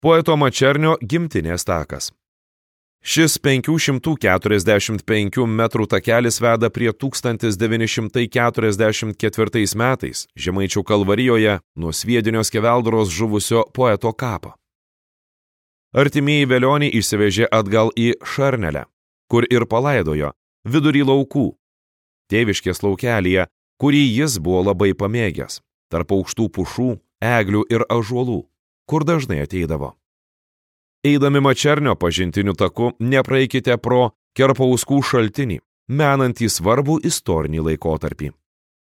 Poeto Mačernio gimtinės takas. Šis 545 metrų takelis veda prie 1944 metais Žemaičių Kalvarijoje nuo Sviedinio Skeveldros žuvusio poeto kapo. Artimieji velionį išsivežė atgal į Šarnelę, kur ir palaidojo, vidury laukų, tėviškės laukelyje, kurį jis buvo labai pamėgęs, tarp aukštų pušų, eglių ir ąžuolų, kur dažnai ateidavo. Eidami Mačernio pažintiniu taku, nepraeikite pro Kerpauskų šaltinį, menantį svarbų istorinį laikotarpį.